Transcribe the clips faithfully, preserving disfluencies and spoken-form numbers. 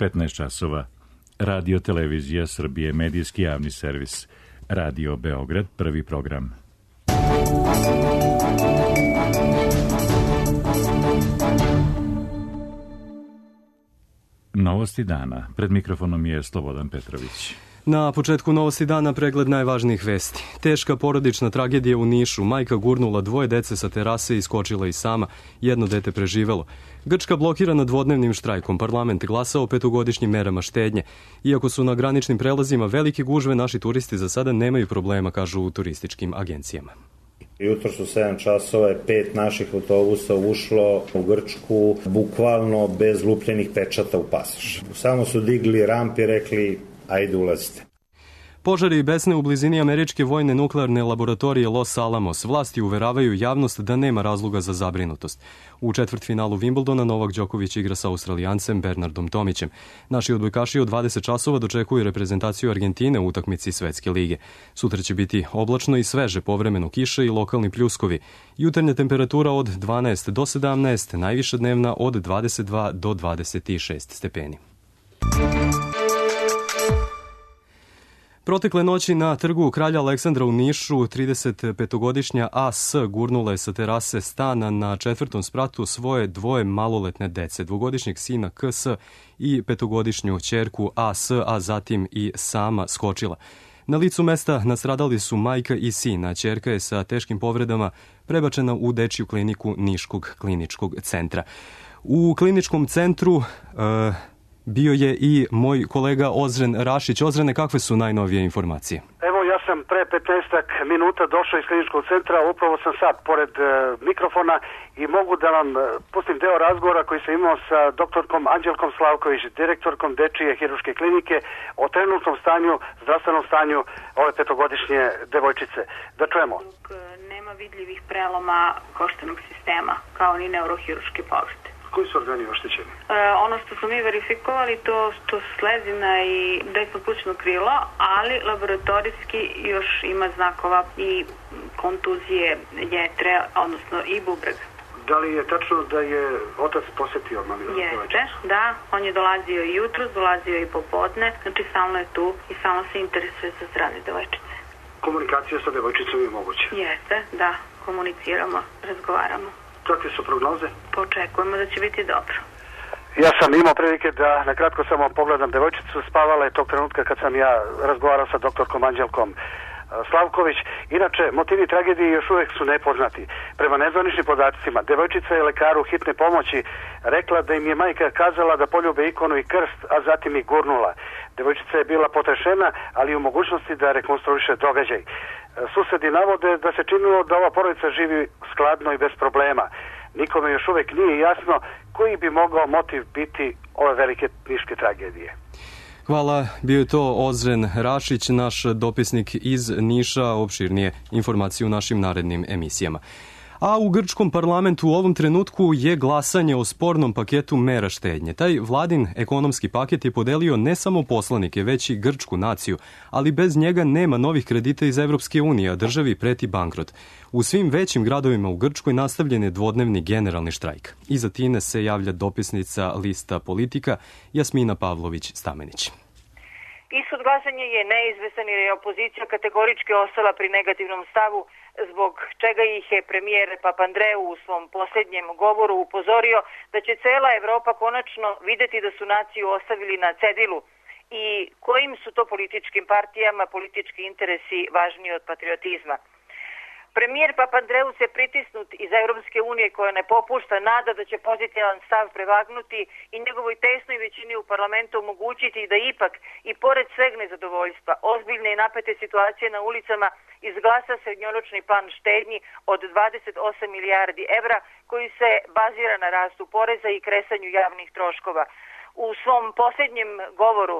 petnaest časova. Radio Televizija Srbije, medijski javni servis. Radio Beograd, prvi program. Novosti dana. Pred mikrofonom je Slobodan Petrović. Na početku novosti dana pregled najvažnijih vesti. Teška porodična tragedija u Nišu. Majka gurnula dvoje dece sa terase i iskočila i sama. Jedno dete preživelo. Grčka blokirana dvodnevnim štrajkom. Parlament glasao o petogodišnjim merama štednje. Iako su na graničnim prelazima velike gužve, naši turisti za sada nemaju problema, kažu u turističkim agencijama. Jutro su sedam časova je pet naših autobusa ušlo u Grčku bukvalno bez lupljenih pečata u pasoš. Samo su digli ramp i rekli ajde ulazite. Požari i besne u blizini američke vojne nuklearne laboratorije Los Alamos. Vlasti uveravaju javnost da nema razloga za zabrinutost. U četvrtfinalu Wimbledona Novak Đoković igra sa Australijancem Bernardom Tomićem. Naši odbojkaši od dvadeset časova dočekuju reprezentaciju Argentine u utakmici Svetske lige. Sutra će biti oblačno i sveže, povremeno kiše i lokalni pljuskovi. Jutarnja temperatura od dvanaest do sedamnaest, najviša dnevna od dvadeset dva do dvadeset šest stepeni. Protekle noći na trgu Kralja Aleksandra u Nišu tridesetpetogodišnja A S gurnula je sa terase stana na četvrtom spratu svoje dvoje maloletne dece, dvogodišnjeg sina K S i petogodišnju ćerku A S, a zatim i sama skočila. Na licu mesta nastradali su majka i sin, a ćerka je sa teškim povredama prebačena u dečiju kliniku Niškog kliničkog centra. U kliničkom centru E, bio je i moj kolega Ozren Rašić. Ozrene, kakve su najnovije informacije? Evo, ja sam pre petnaestak minuta došao iz kliničkog centra, upravo sam sad pored e, mikrofona i mogu da vam e, pustim deo razgovora koji sam imao sa doktorkom Anđelkom Slavković, direktorkom Dečije hirurške klinike, o trenutnom stanju, zdravstvenom stanju ove petogodišnje devojčice. Da čujemo. Nema vidljivih preloma koštanog sistema, kao ni neurohirurške povrede. Koji su organi oštećeni? E, ono što smo mi verifikovali, to, to su slezina i desno plućno krilo, ali laboratorijski još ima znakova i kontuzije jetre, odnosno i bubrega. Da li je tačno da je otac posetio mami? Jeste, da. On je dolazio i jutros, dolazio i popodne, znači stalno je tu i stalno se interesuje za zdravlje devojčice. Komunikacija sa devojčicom je moguća? Jeste, da. Komuniciramo, razgovaramo. Kakve su prognoze? Očekujemo da će biti dobro. Ja sam imao prilike da na kratko samo pogledam devojčicu. Spavala je tog trenutka kad sam ja razgovarao sa doktorkom Anđelkom Slavković. Inače, motivi tragedije još uvijek su nepoznati. Prema nezvaničnim podacima, devojčica je lekaru hitne pomoći rekla da im je majka kazala da poljube ikonu i krst, a zatim i gurnula. Devojčica je bila potrešena, ali u mogućnosti da rekonstruiše događaj. Susedi navode da se činilo da ova porodica živi skladno i bez problema. Nikome još uvijek nije jasno koji bi mogao motiv biti ove velike niške tragedije. Hvala, bio je to Ozren Rašić, naš dopisnik iz Niša, opširnije informacije u našim narednim emisijama. A u grčkom parlamentu u ovom trenutku je glasanje o spornom paketu mera štednje. Taj vladin ekonomski paket je podelio ne samo poslanike, već i grčku naciju, ali bez njega nema novih kredita iz Evropske unije, a državi preti bankrot. U svim većim gradovima u Grčkoj nastavljen je dvodnevni generalni štrajk. Iza Tine se javlja dopisnica Lista Politika Jasmina Pavlović-Stamenić. Ishod glasanja je neizvestan jer je opozicija kategorički ostala pri negativnom stavu, zbog čega ih je premijer Papandreou u svom posljednjem govoru upozorio da će cela Evropa konačno videti da su naciju ostavili na cedilu i kojim su to političkim partijama politički interesi važniji od patriotizma. Premijer Papandreou se pritisnut iz Europske unije koja ne popušta nada da će pozitivan stav prevagnuti i njegovoj tesnoj većini u parlamentu omogućiti da ipak i pored sveg nezadovoljstva, ozbiljne i napete situacije na ulicama izglasa srednjoročni plan štednji od dvadeset osam milijardi evra koji se bazira na rastu poreza i kresanju javnih troškova. U svom posljednjem govoru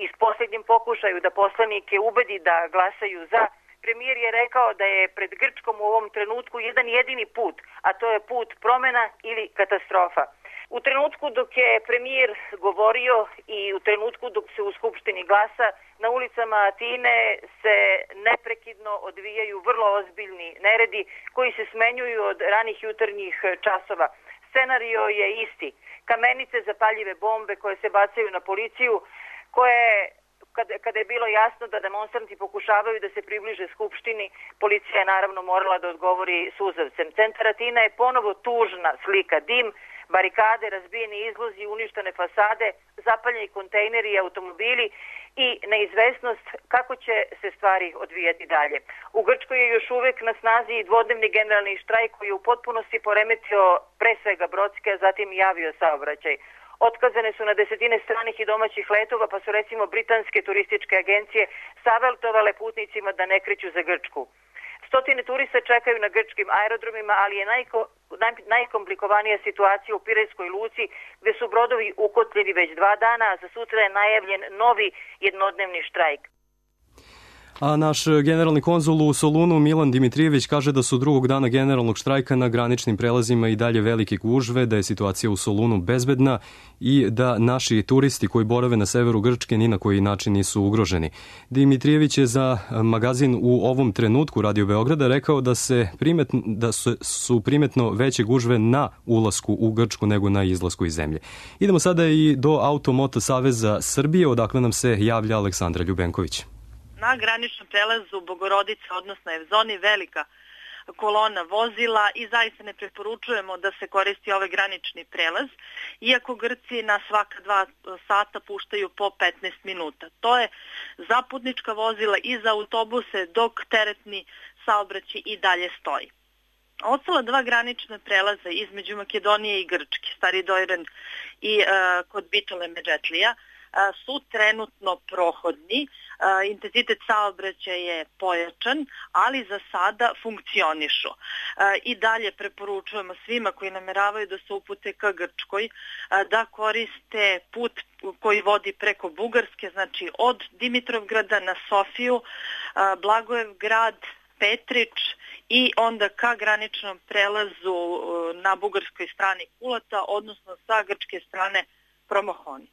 i s posljednjim pokušaju da poslanike ubedi da glasaju za, premijer je rekao da je pred Grčkom u ovom trenutku jedan jedini put, a to je put promjena ili katastrofa. U trenutku dok je premijer govorio i u trenutku dok se u Skupštini glasa, na ulicama Atine se neprekidno odvijaju vrlo ozbiljni neredi koji se smenjuju od ranih jutarnjih časova. Scenario je isti. Kamenice, zapaljive bombe koje se bacaju na policiju, koje, kada, kada je bilo jasno da demonstranti pokušavaju da se približe Skupštini, policija je naravno morala da odgovori suzavcem. Centar Atina je ponovo tužna slika, dim, barikade, razbijeni izlozi, uništene fasade, zapaljeni kontejneri i automobili i neizvesnost kako će se stvari odvijati dalje. U Grčkoj je još uvek na snazi i dvodnevni generalni štrajk koji je u potpunosti poremetio pre svega brodske, a zatim i avio saobraćaj. Otkazane su na desetine stranih i domaćih letova, pa su recimo britanske turističke agencije savetovale putnicima da ne kreću za Grčku. Stotine turista čekaju na grčkim aerodromima, ali je najko, naj, najkomplikovanija situacija u Pirejskoj luci, gde su brodovi ukotljeni već dva dana, a za sutra je najavljen novi jednodnevni štrajk. A naš generalni konzul u Solunu Milan Dimitrijević kaže da su drugog dana generalnog štrajka na graničnim prelazima i dalje velike gužve, da je situacija u Solunu bezbedna i da naši turisti koji borave na severu Grčke ni na koji način nisu ugroženi. Dimitrijević je za magazin U ovom trenutku Radio Beograda rekao da, se primetno, da su, su primetno veće gužve na ulasku u Grčku nego na izlasku iz zemlje. Idemo sada i do Automoto Saveza Srbije, odakle nam se javlja Aleksandra Ljubenković. Na graničnom prelazu Bogorodica, odnosno Evzoni, velika kolona vozila i zaista ne preporučujemo da se koristi ovaj granični prelaz, iako Grci na svaka dva sata puštaju po petnaest minuta. To je za putnička vozila i za autobuse, dok teretni saobraćaj i dalje stoji. Ostala dva granična prelaza između Makedonije i Grčke, Stari Dojran i uh, kod Bitole Međetlija, su trenutno prohodni, intenzitet saobraćaja je pojačan, ali za sada funkcionišu. I dalje preporučujemo svima koji nameravaju da se upute ka Grčkoj da koriste put koji vodi preko Bugarske, znači od Dimitrovgrada na Sofiju, Blagojevgrad, Petrić i onda ka graničnom prelazu na bugarskoj strani Kulata, odnosno sa grčke strane Promohoni.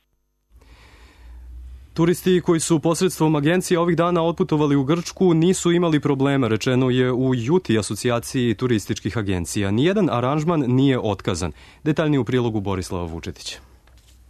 Turisti koji su posredstvom agencije ovih dana otputovali u Grčku nisu imali problema, rečeno je u Juti, asocijaciji turističkih agencija. Nijedan aranžman nije otkazan. Detaljnije u prilogu Borislava Vučetića.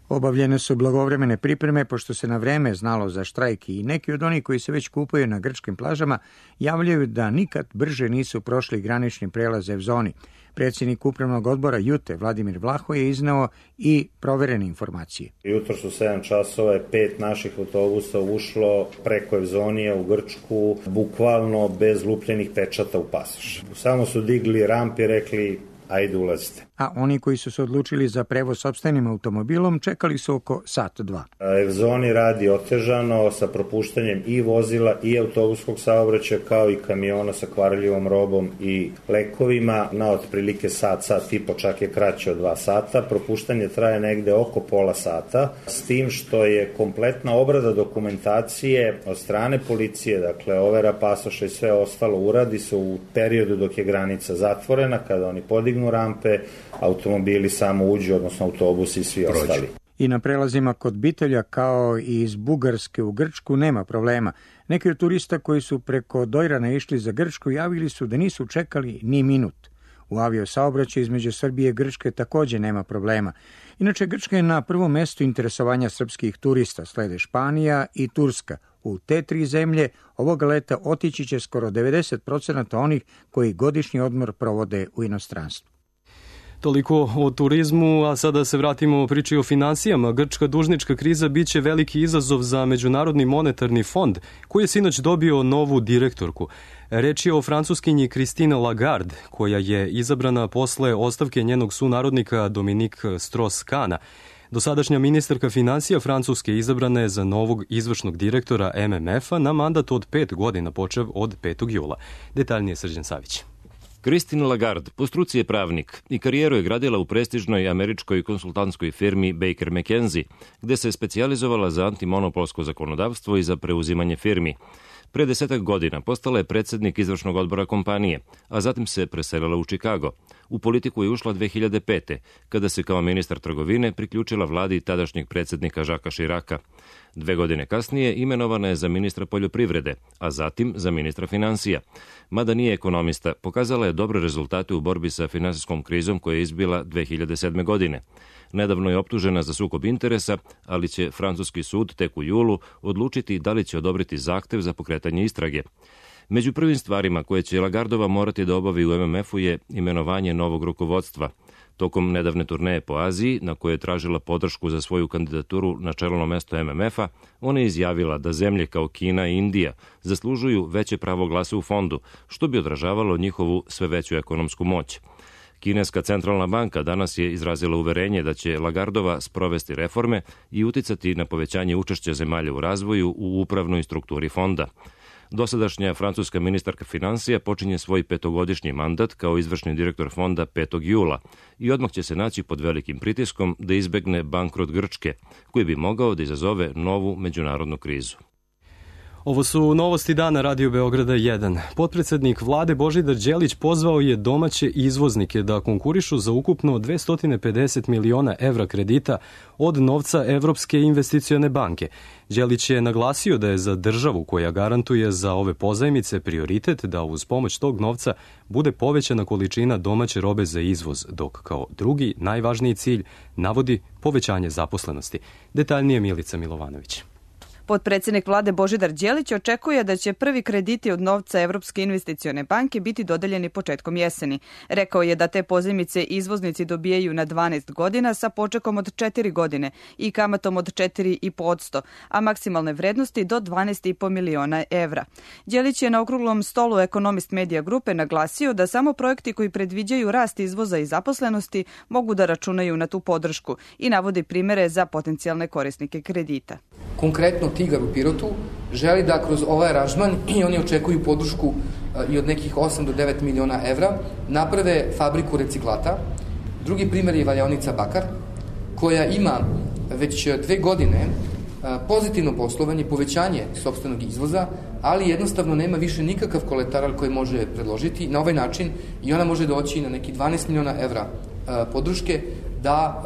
Obavljene su blagovremene pripreme, pošto se na vreme znalo za štrajk i neki od onih koji se već kupaju na grčkim plažama javljaju da nikad brže nisu prošli granični prelaz Evzoni. Predsjednik upravnog odbora Jute, Vladimir Vlaho, je izneo i proverene informacije. Jutro su sedam časova je pet naših autobusa ušlo preko Evzonije u Grčku, bukvalno bez lupljenih pečata u pasoš. Samo su digli ramp i rekli ajde ulazite. A oni koji su se odlučili za prevoz sopstvenim automobilom čekali su oko sat dva. Evzoni radi otežano sa propuštanjem i vozila i autobuskog saobraćaja kao i kamiona sa kvarljivom robom i lekovima na otprilike sat, sat i po, čak je kraće od dva sata. Propuštanje traje negde oko pola sata, s tim što je kompletna obrada dokumentacije od strane policije, dakle overa pasoša i sve ostalo uradi se u periodu dok je granica zatvorena, kada oni podignu rampe, automobili samo uđu, odnosno autobusi i svi Prođu. Ostali. I na prelazima kod Bitelja, kao i iz Bugarske u Grčku, nema problema. Neki od turista koji su preko Dojrana išli za Grčku javili su da nisu čekali ni minut. U aviosaobraćaju između Srbije i Grčke takođe nema problema. Inače, Grčka je na prvom mestu interesovanja srpskih turista, slede Španija i Turska. U te tri zemlje ovoga leta otići će skoro devedeset procenata onih koji godišnji odmor provode u inostranstvu. Toliko o turizmu, a sada se vratimo priči o finansijama. Grčka dužnička kriza biće veliki izazov za Međunarodni monetarni fond, koji je sinoć dobio novu direktorku. Reč je o francuskinji Christine Lagarde, koja je izabrana posle ostavke njenog sunarodnika Dominique Strauss-Kahna. Dosadašnja ministarka finansija Francuske izabrana je za novog izvršnog direktora M M F-a na mandat od pet godina, počev od petog jula. Detaljnije Srđan Savić. Christine Lagarde po struci je pravnik i karijeru je gradila u prestižnoj američkoj konsultantskoj firmi Baker McKenzie, gde se specijalizovala za antimonopolsko zakonodavstvo i za preuzimanje firmi. Pre desetak godina postala je predsednik izvršnog odbora kompanije, a zatim se preselila u Čikago. U politiku je ušla dve hiljade pete. kada se kao ministar trgovine priključila vladi tadašnjeg predsjednika Žaka Širaka. Dve godine kasnije imenovana je za ministra poljoprivrede, a zatim za ministra financija. Mada nije ekonomista, pokazala je dobre rezultate u borbi sa finansijskom krizom koja je izbila dve hiljade sedme. godine. Nedavno je optužena za sukob interesa, ali će francuski sud tek u julu odlučiti da li će odobriti zahtev za pokretanje istrage. Među prvim stvarima koje će Lagardova morati da obavi u em em efu je imenovanje novog rukovodstva. Tokom nedavne turneje po Aziji, na kojoj je tražila podršku za svoju kandidaturu na čelno mesto em em efa, ona je izjavila da zemlje kao Kina i Indija zaslužuju veće pravo glasa u fondu, što bi odražavalo njihovu sve veću ekonomsku moć. Kineska centralna banka danas je izrazila uverenje da će Lagardova sprovesti reforme i uticati na povećanje učešća zemalja u razvoju u upravnoj strukturi fonda. Dosadašnja francuska ministarka financija počinje svoj petogodišnji mandat kao izvršni direktor fonda petog jula i odmah će se naći pod velikim pritiskom da izbegne bankrot Grčke, koji bi mogao da izazove novu međunarodnu krizu. Ovo su novosti dana Radio Beograda jedan. Potpredsednik vlade Božidar Đelić pozvao je domaće izvoznike da konkurišu za ukupno dvesta pedeset miliona evra kredita od novca Evropske investicione banke. Đelić je naglasio da je za državu koja garantuje za ove pozajmice prioritet da uz pomoć tog novca bude povećana količina domaće robe za izvoz, dok kao drugi najvažniji cilj navodi povećanje zaposlenosti. Detaljnije Milica Milovanović. Potpredsednik vlade Božidar Đelić očekuje da će prvi krediti od novca Evropske investicione banke biti dodeljeni početkom jeseni. Rekao je da te pozajmice izvoznici dobijaju na dvanaest godina sa počekom od četiri godine i kamatom od četiri zarez pet posto, a maksimalne vrednosti do dvanaest zarez pet miliona evra. Đelić je na okruglom stolu Ekonomist Medija grupe naglasio da samo projekti koji predviđaju rast izvoza i zaposlenosti mogu da računaju na tu podršku i navodi primere za potencijalne korisnike kredita. Konkretno Tigar u Pirotu želi da kroz ovaj aranžman, i oni očekuju podršku i od nekih osam do devet miliona evra, naprave fabriku reciklata. Drugi primjer je valjaonica Bakar, koja ima već dve godine pozitivno poslovanje, povećanje sopstvenog izvoza, ali jednostavno nema više nikakav kolateral koji može predložiti. Na ovaj način i ona može doći na neki dvanaest miliona evra podrške da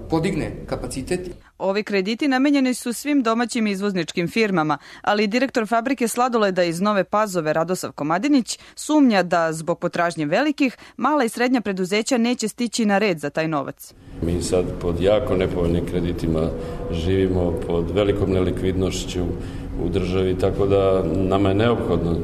podigne kapacitet. Ovi krediti namenjeni su svim domaćim izvozničkim firmama, ali direktor fabrike sladoleda iz Nove Pazove Radosav Komadinić sumnja da zbog potražnje velikih, mala i srednja preduzeća neće stići na red za taj novac. Mi sad pod jako nepovoljnim kreditima živimo, pod velikom nelikvidnošću u državi, tako da nama je neophodno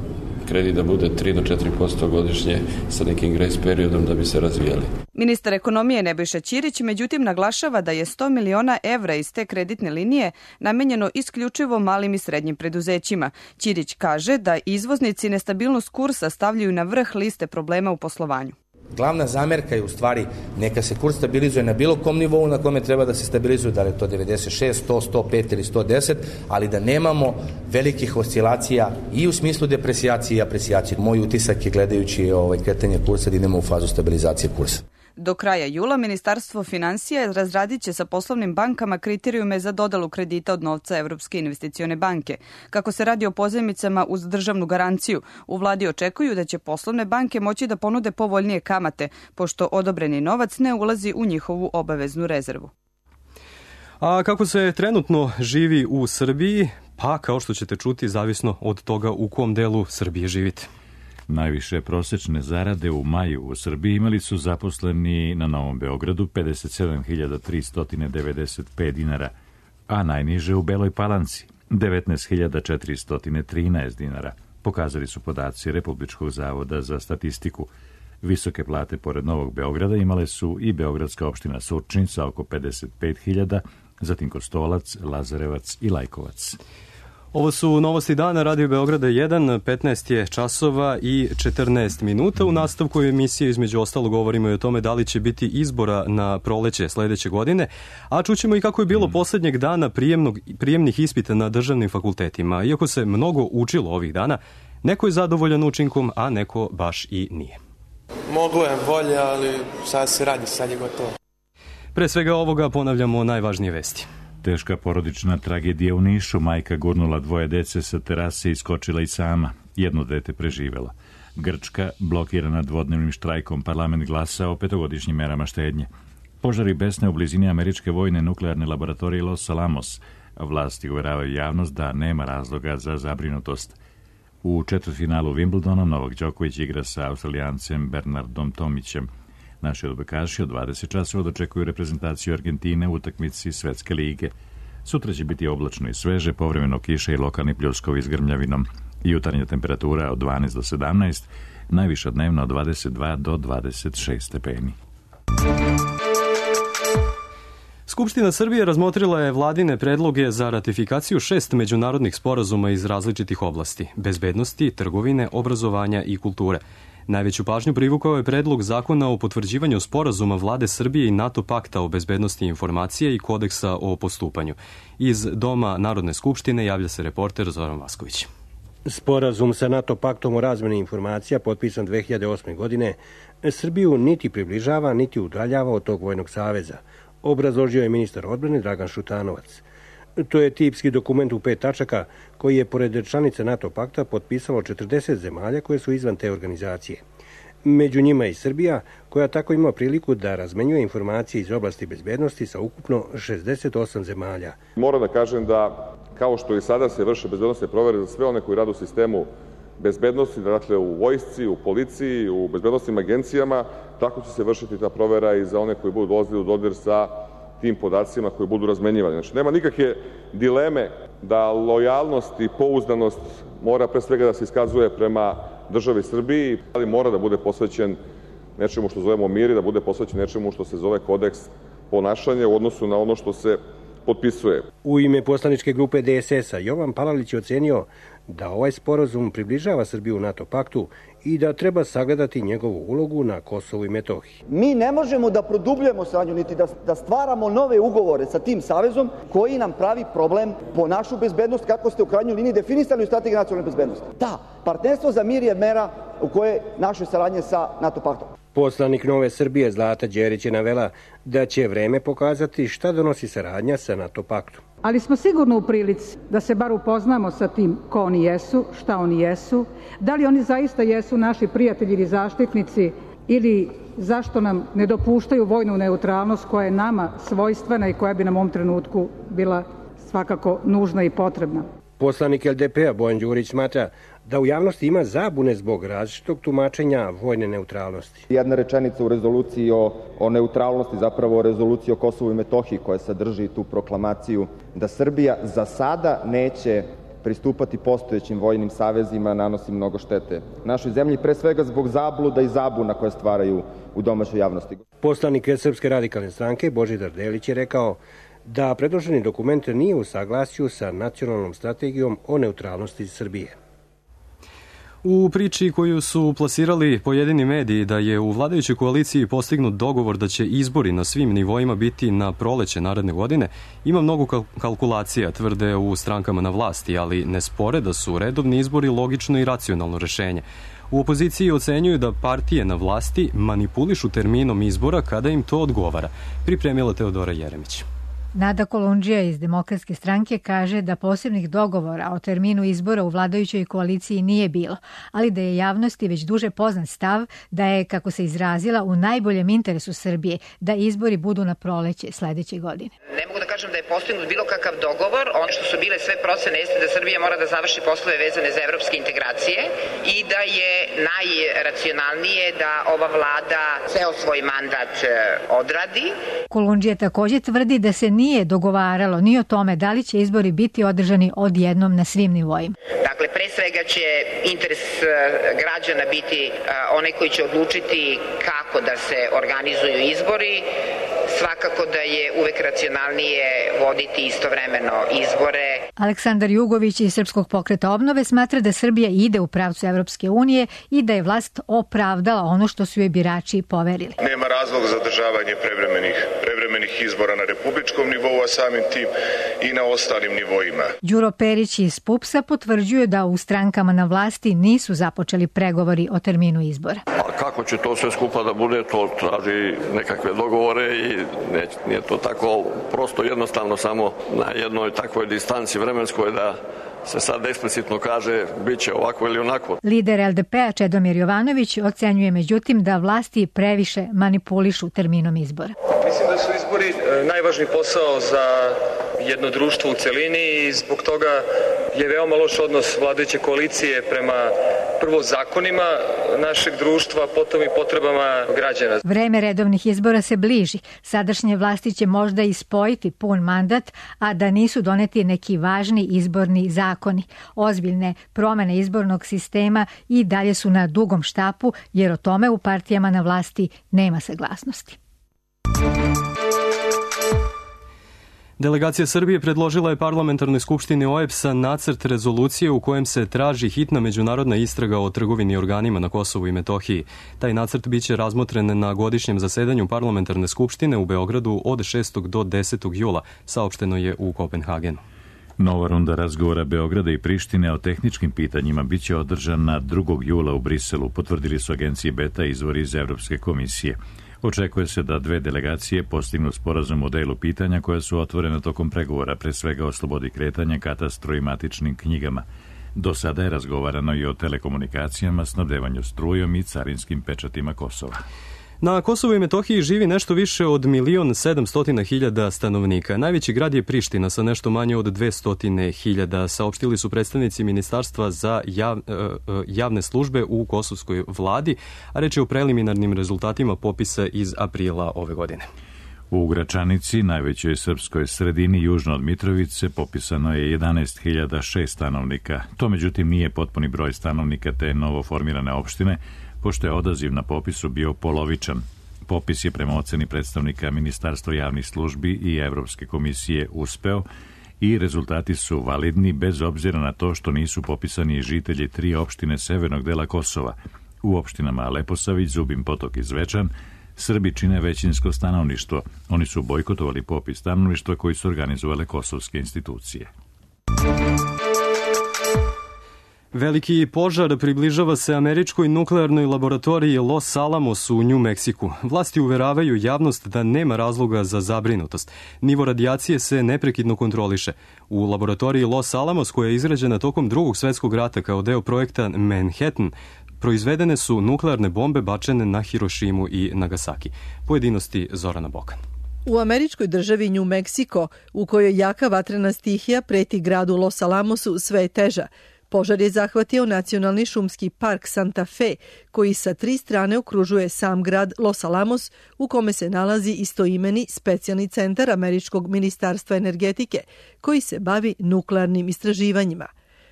kredit da bude tri do četiri posto godišnje sa nekim grace periodom da bi se razvijali. Ministar ekonomije Nebojša Ćirić međutim naglašava da je sto miliona evra iz te kreditne linije namenjeno isključivo malim i srednjim preduzećima. Ćirić kaže da izvoznici nestabilnost kursa stavljaju na vrh liste problema u poslovanju. Glavna zamerka je u stvari neka se kurs stabilizuje na bilo kom nivou na kome treba da se stabilizuje, da li je to devedeset šest, sto, sto pet ili sto deset, ali da nemamo velikih oscilacija i u smislu depresijacije i apresijacije. Moj utisak je gledajući ovaj kretanje kursa da idemo u fazu stabilizacije kursa. Do kraja jula Ministarstvo financija razradit će sa poslovnim bankama kriterijume za dodelu kredita od novca Evropske investicione banke. Kako se radi o pozajmicama uz državnu garanciju, u vladi očekuju da će poslovne banke moći da ponude povoljnije kamate, pošto odobreni novac ne ulazi u njihovu obaveznu rezervu. A kako se trenutno živi u Srbiji? Pa, kao što ćete čuti, zavisno od toga u kom delu Srbije živite. Najviše prosečne zarade u maju u Srbiji imali su zaposleni na Novom Beogradu pedeset sedam hiljada tristo devedeset pet dinara, a najniže u Beloj Palanci devetnaest hiljada četiristo trinaest dinara, pokazali su podaci Republičkog zavoda za statistiku. Visoke plate pored Novog Beograda imale su i beogradska opština Surčin sa oko pedeset pet hiljada, zatim Kostolac, Lazarevac i Lajkovac. Ovo su novosti dana Radio Beograda jedan, petnaest je časova i četrnaest minuta. U nastavku emisije između ostalo govorimo i o tome da li će biti izbora na proleće sledeće godine, a čućemo i kako je bilo poslednjeg dana prijemnog, prijemnih ispita na državnim fakultetima. Iako se mnogo učilo ovih dana, neko je zadovoljan učinkom, a neko baš i nije. Moglo je bolje, ali sad se radi, sad je gotovo. Pre svega ovoga ponavljamo najvažnije vesti. Teška porodična tragedija u Nišu. Majka gurnula dvoje dece sa terase i iskočila i sama. Jedno dete preživela. Grčka, blokirana dvodnevnim štrajkom, parlament glasa o petogodišnjim merama štednje. Požari besne u blizini američke vojne nuklearne laboratorije Los Alamos. Vlasti uveravaju javnost da nema razloga za zabrinutost. U četvrtfinalu Wimbledona Novak Đoković igra sa Australijancem Bernardom Tomićem. Naši odbojkaši od dvadeset časova dočekuju reprezentaciju Argentine u utakmici Svetske lige. Sutra će biti oblačno i sveže, povremeno kiše i lokalni pljuskovi s grmljavinom. Jutarnja temperatura od dvanaest do sedamnaest, najviša dnevna od dvadeset dva do dvadeset šest stepeni. Skupština Srbije razmotrila je vladine predloge za ratifikaciju šest međunarodnih sporazuma iz različitih oblasti – bezbednosti, trgovine, obrazovanja i kulture. Najveću pažnju privukao je predlog zakona o potvrđivanju sporazuma vlade Srbije i NATO pakta o bezbednosti informacije i kodeksa o postupanju. Iz Doma Narodne skupštine javlja se reporter Zoran Vasković. Sporazum sa NATO paktom o razmeni informacija, potpisan dve hiljade osme. godine, Srbiju niti približava, niti udaljava od tog vojnog saveza, obrazložio je ministar odbrane Dragan Šutanovac. To je tipski dokument u pet tačaka koji je, pored članica NATO pakta, potpisalo četrdeset zemalja koje su izvan te organizacije. Među njima i Srbija, koja tako ima priliku da razmenjuje informacije iz oblasti bezbednosti sa ukupno šezdeset osam zemalja. Moram da kažem da, kao što i sada se vrše bezbednostne provere za sve one koji rade u sistemu bezbednosti, dakle u vojsci, u policiji, u bezbednostnim agencijama, tako će se vršiti ta provera i za one koji budu dolazili u dodir sa tim podacima koji budu razmenjivani. Znači, nema nikakve dileme da lojalnost i pouzdanost mora pre svega da se iskazuje prema državi Srbiji, ali mora da bude posvećen nečemu što zovemo mir i da bude posvećen nečemu što se zove kodeks ponašanja u odnosu na ono što se potpisuje. U ime poslaničke grupe D S S-a Jovan Palalić je ocenio da ovaj sporazum približava Srbiju NATO paktu i da treba sagledati njegovu ulogu na Kosovu i Metohiji. Mi ne možemo da produbljujemo saradnju, niti da, da stvaramo nove ugovore sa tim savezom koji nam pravi problem po našu bezbednost, kako ste u krajnjoj liniji definisali u strategiji nacionalne bezbednosti. Da, partnerstvo za mir je mera u kojoj naše saradnje sa NATO paktom. Poslanik Nove Srbije Zlata Đerić je navela da će vreme pokazati šta donosi saradnja sa NATO paktom. Ali smo sigurno u prilici da se bar upoznamo sa tim ko oni jesu, šta oni jesu, da li oni zaista jesu naši prijatelji ili zaštitnici ili zašto nam ne dopuštaju vojnu neutralnost koja je nama svojstvena i koja bi nam u ovom trenutku bila svakako nužna i potrebna. Poslanik L D P-a Bojan Đurić smatra da u javnosti ima zabune zbog različitog tumačenja vojne neutralnosti. Jedna rečenica u rezoluciji o, o neutralnosti, zapravo o rezoluciji o Kosovu i Metohiji koja sadrži tu proklamaciju da Srbija za sada neće pristupati postojećim vojnim savezima, nanosi mnogo štete našoj zemlji, pre svega zbog zabluda i zabuna koje stvaraju u domaćoj javnosti. Poslanik Srpske radikalne stranke Božidar Delić je rekao da predloženi dokument nije u saglasju sa nacionalnom strategijom o neutralnosti Srbije. U priči koju su plasirali pojedini mediji da je u vladajućoj koaliciji postignut dogovor da će izbori na svim nivoima biti na proleće naredne godine, ima mnogo kalkulacija, tvrde u strankama na vlasti, ali ne spore da su redovni izbori logično i racionalno rešenje. U opoziciji ocenjuju da partije na vlasti manipulišu terminom izbora kada im to odgovara. Pripremila Teodora Jeremić. Nada Kolundžija iz Demokratske stranke kaže da posebnih dogovora o terminu izbora u vladajućoj koaliciji nije bilo, ali da je javnosti već duže poznat stav da je, kako se izrazila, u najboljem interesu Srbije da izbori budu na proleće sledeće godine. Ne mogu da kažem da je postignut bilo kakav dogovor. Ono što su bile sve procene jeste da Srbija mora da završi poslove vezane za evropske integracije i da je najracionalnije da ova vlada ceo svoj mandat odradi. Kolundžija takođe tvrdi da se nije dogovaralo ni o tome da li će izbori biti održani odjednom na svim nivoima. Dakle, pre svega će interes građana biti onaj koji će odlučiti kako da se organizuju izbori. Svakako da je uvek racionalnije voditi istovremeno izbore. Aleksandar Jugović iz Srpskog pokreta obnove smatra da Srbija ide u pravcu Evropske unije i da je vlast opravdala ono što su joj birači poverili. Nema razloga za održavanje prevremenih, prevremenih privremenih izbora na republičkom nivou, a samim tim i na ostalim nivoima. Đuro Perić iz PUPS-a potvrđuje da u strankama na vlasti nisu započeli pregovori o terminu izbora. A kako će to sve skupa da bude, to traži nekakve dogovore i ne, nije to tako prosto jednostavno samo na jednoj takvoj distanci vremenskoj da se sad eksplicitno kaže bit će ovako ili onako. Lider L D P-a Čedomir Jovanović ocenjuje međutim da vlasti previše manipulišu terminom izbora. Mislim da su izbori najvažniji posao za jedno društvo u celini i zbog toga je veoma loš odnos vladajuće koalicije prema prvo zakonima našeg društva, potom i potrebama građana. Vreme redovnih izbora se bliži. Sadašnje vlasti će možda ispojiti pun mandat, a da nisu doneti neki važni izborni zakoni. Ozbiljne promene izbornog sistema i dalje su na dugom štapu, jer o tome u partijama na vlasti nema saglasnosti. Delegacija Srbije predložila je parlamentarnoj skupštini O E B S-a nacrt rezolucije u kojem se traži hitna međunarodna istraga o trgovini organima na Kosovu i Metohiji. Taj nacrt biće razmotren na godišnjem zasedanju parlamentarne skupštine u Beogradu od šestog do desetog jula, saopšteno je u Kopenhagenu. Nova runda razgovora Beograda i Prištine o tehničkim pitanjima biće održana drugog jula u Briselu, potvrdili su agencije Beta izvori iz Evropske komisije. Očekuje se da dve delegacije postignu sporazum o delu pitanja koja su otvorena tokom pregovora, pre svega o slobodi kretanja, katastru i matičnim knjigama. Do sada je razgovarano i o telekomunikacijama, snabdevanju strujom i carinskim pečatima Kosova. Na Kosovu i Metohiji živi nešto više od milion sedamsto hiljada stanovnika. Najveći grad je Priština sa nešto manje od dvesta hiljada, saopštili su predstavnici Ministarstva za jav, javne službe u kosovskoj vladi, a reč je o preliminarnim rezultatima popisa iz aprila ove godine. U Gračanici, najvećoj srpskoj sredini južno od Mitrovice, popisano je jedanaest hiljada šest stanovnika. To međutim nije potpuni broj stanovnika te novoformirane opštine, pošto je odaziv na popisu bio polovičan. Popis je prema oceni predstavnika Ministarstva javnih službi i Evropske komisije uspeo i rezultati su validni bez obzira na to što nisu popisani žitelji tri opštine severnog dela Kosova. U opštinama Leposavić, Zubin Potok i Zvečan Srbi čine većinsko stanovništvo. Oni su bojkotovali popis stanovništva koji su organizovale kosovske institucije. Veliki požar približava se američkoj nuklearnoj laboratoriji Los Alamos u New Meksiku. Vlasti uveravaju javnost da nema razloga za zabrinutost. Nivo radijacije se neprekidno kontroliše. U laboratoriji Los Alamos, koja je izrađena tokom drugog svetskog rata kao deo projekta Manhattan, proizvedene su nuklearne bombe bačene na Hirošimu i Nagasaki. Pojedinosti Zorana Bokan. U američkoj državi New Mexico, u kojoj jaka vatrena stihija preti gradu Los Alamosu, sve je teža. Požar je zahvatio nacionalni šumski park Santa Fe, koji sa tri strane okružuje sam grad Los Alamos, u kome se nalazi istoimeni specijalni centar Američkog ministarstva energetike, koji se bavi nuklearnim istraživanjima.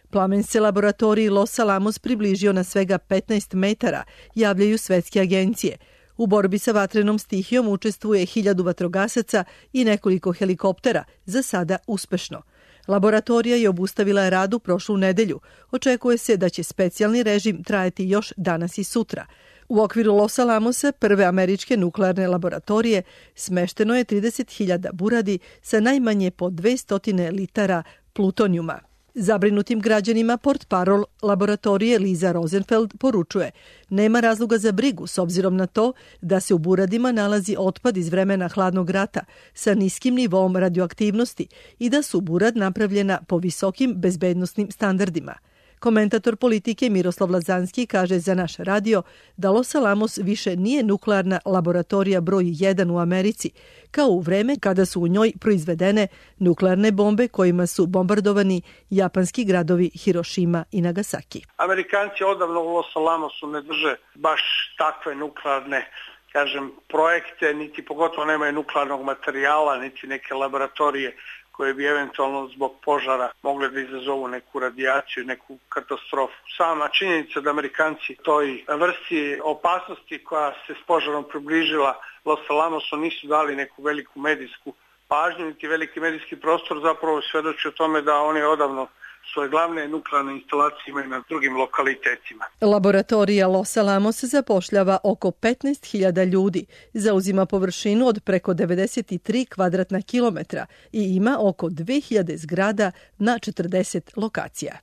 Plamen se laboratoriji Los Alamos približio na svega petnaest metara, javljaju svetske agencije. U borbi sa vatrenom stihijom učestvuje hiljadu vatrogasaca i nekoliko helikoptera, za sada uspešno. Laboratorija je obustavila rad u prošlu nedelju. Očekuje se da će specijalni režim trajati još danas i sutra. U okviru Los Alamosa, prve američke nuklearne laboratorije, smešteno je trideset hiljada buradi sa najmanje po dvesta litara plutonijuma. Zabrinutim građanima portparol laboratorije Liza Rosenfeld poručuje: nema razloga za brigu s obzirom na to da se u buradima nalazi otpad iz vremena hladnog rata sa niskim nivom radioaktivnosti i da su burad napravljena po visokim bezbednosnim standardima. Komentator politike Miroslav Lazanski kaže za naš radio da Los Alamos više nije nuklearna laboratorija broj jedan u Americi, kao u vreme kada su u njoj proizvedene nuklearne bombe kojima su bombardovani japanski gradovi Hirošima i Nagasaki. Amerikanci odavno u Los Alamosu ne drže baš takve nuklearne, kažem, projekte, niti pogotovo nemaju nuklearnog materijala, niti neke laboratorije koje bi eventualno zbog požara mogle da izazovu neku radijaciju, neku katastrofu. Sama činjenica da Amerikanci toj vrsti opasnosti koja se s požarom približila Los Alamosu nisu dali neku veliku medijsku pažnju, niti veliki medijski prostor, zapravo svedoči o tome da oni odavno svoje glavne nuklearne instalacije imaju na drugim lokalitetima. Laboratorija Los Alamos zapošljava oko petnaest hiljada ljudi, zauzima površinu od preko devedeset tri kvadratna kilometra i ima oko dve hiljade zgrada na četrdeset lokacija.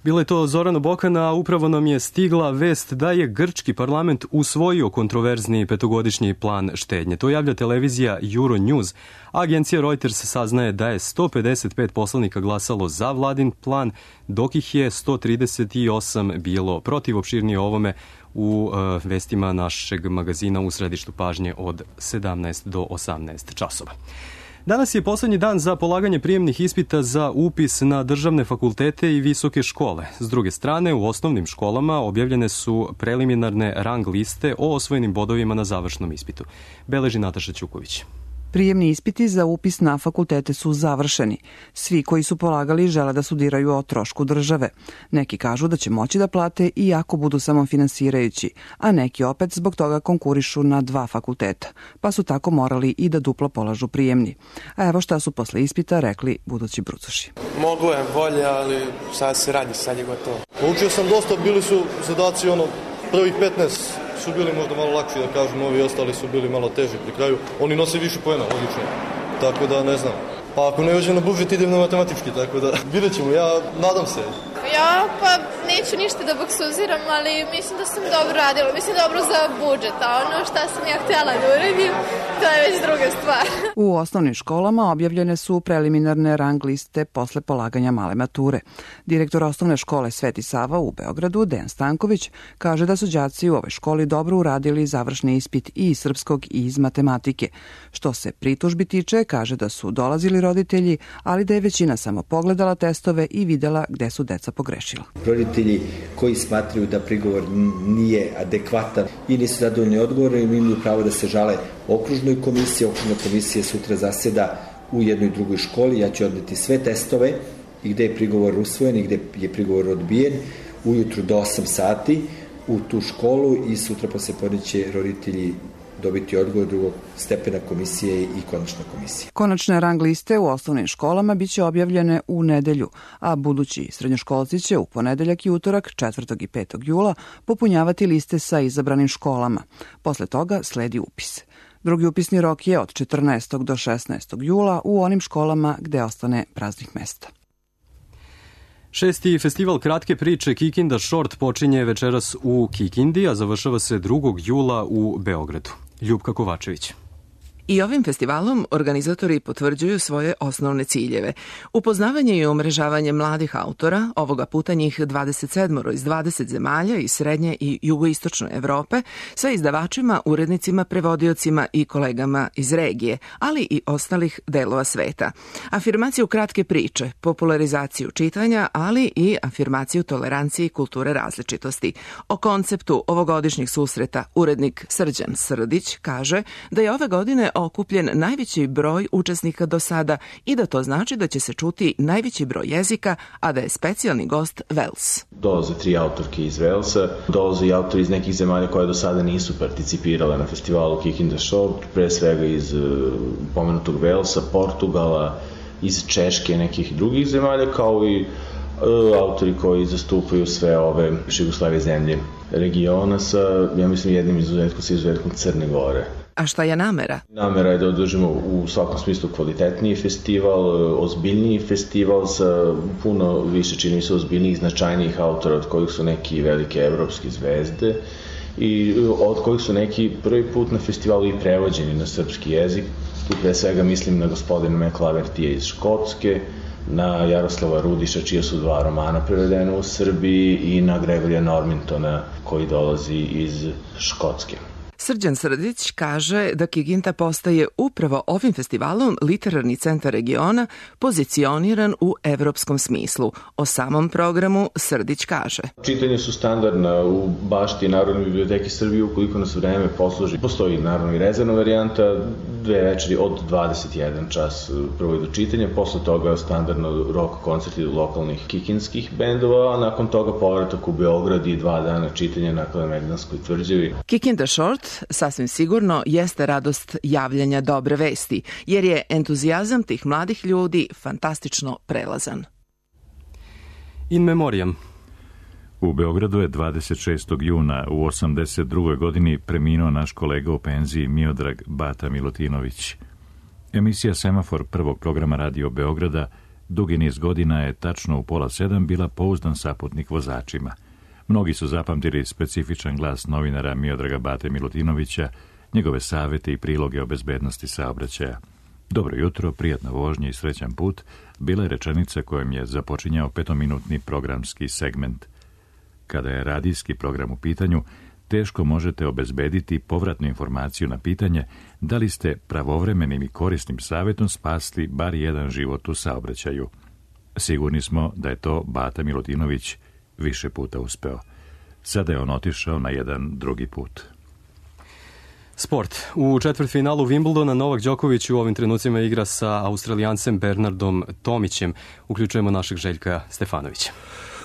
Bilo je to Zorana Bokana, a upravo nam je stigla vest da je grčki parlament usvojio kontroverzni petogodišnji plan štednje. To javlja televizija Euronews. Agencija Reuters saznaje da je sto pedeset pet poslanika glasalo za vladin plan, dok ih je sto trideset osam bilo protiv. Opširnije o ovome u uh, vestima našeg magazina U središtu pažnje od sedamnaest do osamnaest časova. Danas je poslednji dan za polaganje prijemnih ispita za upis na državne fakultete i visoke škole. S druge strane, u osnovnim školama objavljene su preliminarne rang liste o osvojenim bodovima na završnom ispitu. Beleži Nataša Ćuković. Prijemni ispiti za upis na fakultete su završeni. Svi koji su polagali žele da studiraju o trošku države. Neki kažu da će moći da plate i ako budu samofinansirajući, a neki opet zbog toga konkurišu na dva fakulteta, pa su tako morali i da duplo polažu prijemni. A evo šta su posle ispita rekli budući brucoši. Moglo je bolje, ali sad se radi, sad je gotovo. Učio sam dosta, bili su zadaci ono, prvih petnaest su bili možda malo lakši, da kažem, ovi ostali su bili malo teži pri kraju. Oni nose više poena, odlično. Tako da, ne znam. Pa ako ne uđem na budžet, idem na matematički, tako da vidjet ćemo, ja nadam se. Ja pa neću ništa da boksuziram, ali mislim da sam dobro radila. Mislim dobro za budžet, a ono šta sam ja htjela da uradim, to je već druga stvar. U osnovnim školama objavljene su preliminarne rang liste posle polaganja male mature. Direktor osnovne škole Sveti Sava u Beogradu, Dejan Stanković, kaže da su đaci u ovoj školi dobro uradili završni ispit i iz srpskog i iz matematike. Što se pritužbi tiče, kaže da su dolazili roditelji, ali da je većina samo pogledala testove i videla gde su deca pogrešila. Roditelji koji smatraju da prigovor nije adekvatan i nisu zadovoljni odgovorom, imaju pravo da se žale okružnoj komisiji. Okružna komisija sutra zaseda u jednoj drugoj školi. Ja ću odneti sve testove i gde je prigovor usvojen i gde je prigovor odbijen ujutru do osam sati u tu školu i sutra posle podne će roditelji dobiti odgovor drugog stepena komisije i konačna komisija. Konačne rang liste u osnovnim školama biće objavljene u nedelju, a budući srednjoškolci će u ponedeljak i utorak četvrtog i petog jula popunjavati liste sa izabranim školama. Posle toga sledi upis. Drugi upisni rok je od četrnaestog do šesnaestog jula u onim školama gde ostane praznih mesta. Šesti festival kratke priče Kikinda Short počinje večeras u Kikindi, a završava se drugog jula u Beogradu. Ljupka Kovačević. I ovim festivalom organizatori potvrđuju svoje osnovne ciljeve. Upoznavanje i umrežavanje mladih autora, ovoga puta njih dvadeset sedam iz dvadeset zemalja iz srednje i jugoistočne Evrope, sa izdavačima, urednicima, prevodiocima i kolegama iz regije, ali i ostalih delova sveta. Afirmaciju kratke priče, popularizaciju čitanja, ali i afirmaciju tolerancije i kulture različitosti. O konceptu ovogodišnjih susreta urednik Srđan Srdić kaže da je ove godine okupljen najveći broj učesnika do sada i da to znači da će se čuti najveći broj jezika, a da je specijalni gost Vels. Dolaze tri autorke iz Velsa, dolaze i autori iz nekih zemalja koje do sada nisu participirale na festivalu Kikinda Short, pre svega iz uh, pomenutog Velsa, Portugala, iz Češke, nekih drugih zemalja, kao i uh, autori koji zastupaju sve ove Jugoslavije zemlje regiona sa, ja mislim, jednim izuzetkom sa izuzetkom Crne Gore. A šta je namera? Namera je da održimo u svakom smislu kvalitetniji festival, ozbiljniji festival sa puno više, čini mi se, ozbiljnijih, značajnijih autora, od kojih su neki velike evropske zvezde i od kojih su neki prvi put na festivalu i prevođeni na srpski jezik. Tu pre svega mislim na gospodina McLavertija iz Škotske, na Jaroslava Rudiša, čija su dva romana prevedena u Srbiji, i na Gregorija Normintona, koji dolazi iz Škotske. Srđan Srdić kaže da Kikinda postaje upravo ovim festivalom literarni centar regiona, pozicioniran u evropskom smislu. O samom programu Srdić kaže: Čitanje su standardna u bašti Narodne biblioteke Srbije, ukoliko nas vreme posluži. Postoji naravno i rezervna varijanta, dve večeri od dvadeset jedan čas prvo do čitanja, posle toga standardno rock koncerti lokalnih kikinskih bendova, a nakon toga povratak u Beograd i dva dana čitanja na Kalemegdanskoj tvrđavi. Kikinda Short sasvim sigurno jeste radost javljanja dobre vesti, jer je entuzijazam tih mladih ljudi fantastično prelazan. In memoriam. U Beogradu je dvadeset šestog juna u osamdeset drugoj godini preminuo naš kolega u penziji Miodrag Bata Milutinović. Emisija Semafor prvog programa Radio Beograda dugi niz godina je tačno u pola sedam bila pouzdan saputnik vozačima. Mnogi su zapamtili specifičan glas novinara Miodraga Bate Milutinovića, njegove savete i priloge o bezbednosti saobraćaja. Dobro jutro, prijatna vožnja i srećan put bila je rečenica kojom je započinjao petominutni programski segment. Kada je radijski program u pitanju, teško možete obezbediti povratnu informaciju na pitanje da li ste pravovremenim i korisnim savjetom spasli bar jedan život u saobraćaju. Sigurni smo da je to Bata Milutinović više puta uspeo. Sada je on otišao na jedan drugi put. Sport. U četvrtfinalu Wimbledona Novak Đoković u ovim trenucima igra sa Australijancem Bernardom Tomićem. Uključujemo našeg Željka Stefanovića.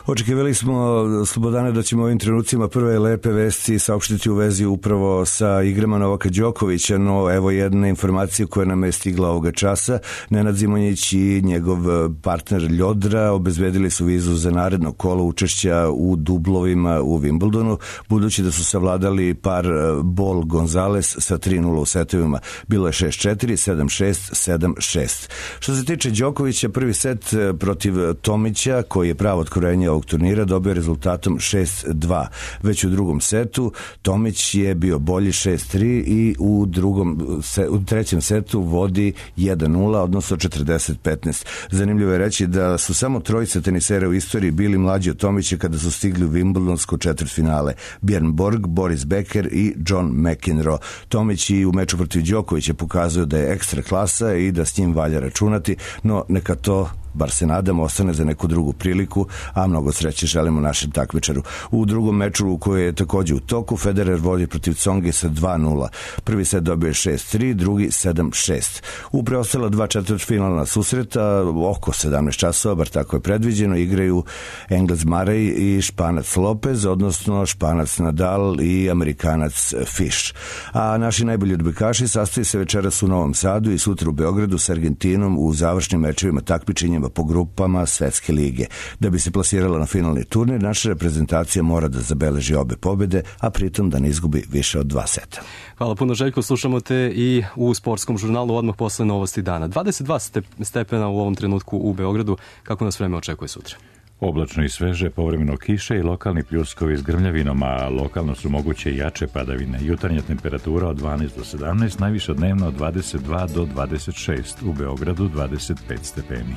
Očekivali smo, Slobodane, da ćemo ovim trenucima prve lepe vesti saopštiti u vezi upravo sa igrama Novaka Đokovića, no evo jedna informacija koja nam je stigla ovoga časa. Nenad Zimonjić i njegov partner Ljodra obezbedili su vizu za naredno kolo učešća u dublovima u Wimbledonu, budući da su savladali par Bol Gonzales sa tri nula u setovima. Bilo je šest četiri, sedam šest, sedam šest. Što se tiče Đokovića, prvi set protiv Tomića, koji je pravo otkrojenje ovog turnira, dobio rezultatom šest dva. Već u drugom setu Tomić je bio bolji šest tri i u drugom u trećem setu vodi jedan nula, odnosno četrdeset petnaest. Zanimljivo je reći da su samo trojica tenisera u istoriji bili mlađi od Tomića kada su stigli u Wimbledonsko četvrtfinale. Björn Borg, Boris Becker i John McEnroe. Tomić i u meču protiv Đokovića pokazuju da je ekstra klasa i da s njim valja računati, no neka to, bar se nadamo, ostane za neku drugu priliku, a mnogo sreće želimo našem takmičaru. U drugom meču koji je također u toku, Federer vodi protiv Tsongi sa dva nula. Prvi set dobio je šest tri, drugi sedam šest. U preostala dva četvrtfinalna susreta, oko sedamnaest časova, bar tako je predviđeno, igraju Englez Murray i Španac Lopez, odnosno Španac Nadal i Amerikanac Fish. A naši najbolji odbojkaši sastoji se večeras u Novom Sadu i sutra u Beogradu s Argentinom u završnim mečevima takmičenjima po grupama Svetske lige. Da bi se plasirala na finalni turnir, naša reprezentacija mora da zabeleži obe pobjede, a pritom da ne izgubi više od dva seta. Hvala puno, Željko. Slušamo te i u sportskom žurnalu odmah posle novosti dana. dvadeset dva stepena u ovom trenutku u Beogradu. Kako nas vreme očekuje sutra? Oblačno i sveže, povremeno kiše i lokalni pljuskovi s grmljavinom, a lokalno su moguće i jače padavine. Jutarnja temperatura od dvanaest do sedamnaest, najviša dnevno od dvadeset dva do dvadeset šest, u Beogradu dvadeset pet stepeni.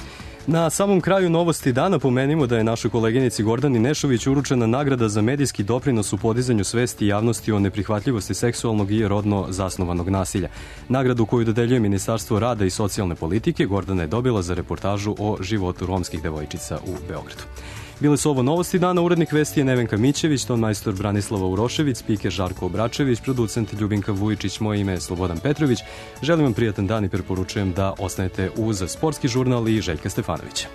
Na samom kraju novosti dana pomenimo da je našoj koleginici Gordani Nešović uručena nagrada za medijski doprinos u podizanju svesti javnosti o neprihvatljivosti seksualnog i rodno zasnovanog nasilja. Nagradu koju dodeljuje Ministarstvo rada i socijalne politike Gordana je dobila za reportažu o životu romskih devojčica u Beogradu. Bile su ovo novosti dana, urednik vesti je Nevenka Mićević, ton majstor Branislava Urošević, spiker Žarko Obračević, producent Ljubinka Vujičić, moje ime je Slobodan Petrović. Želim vam prijatan dan i preporučujem da ostanete uz sportski žurnal i Željka Stefanovića.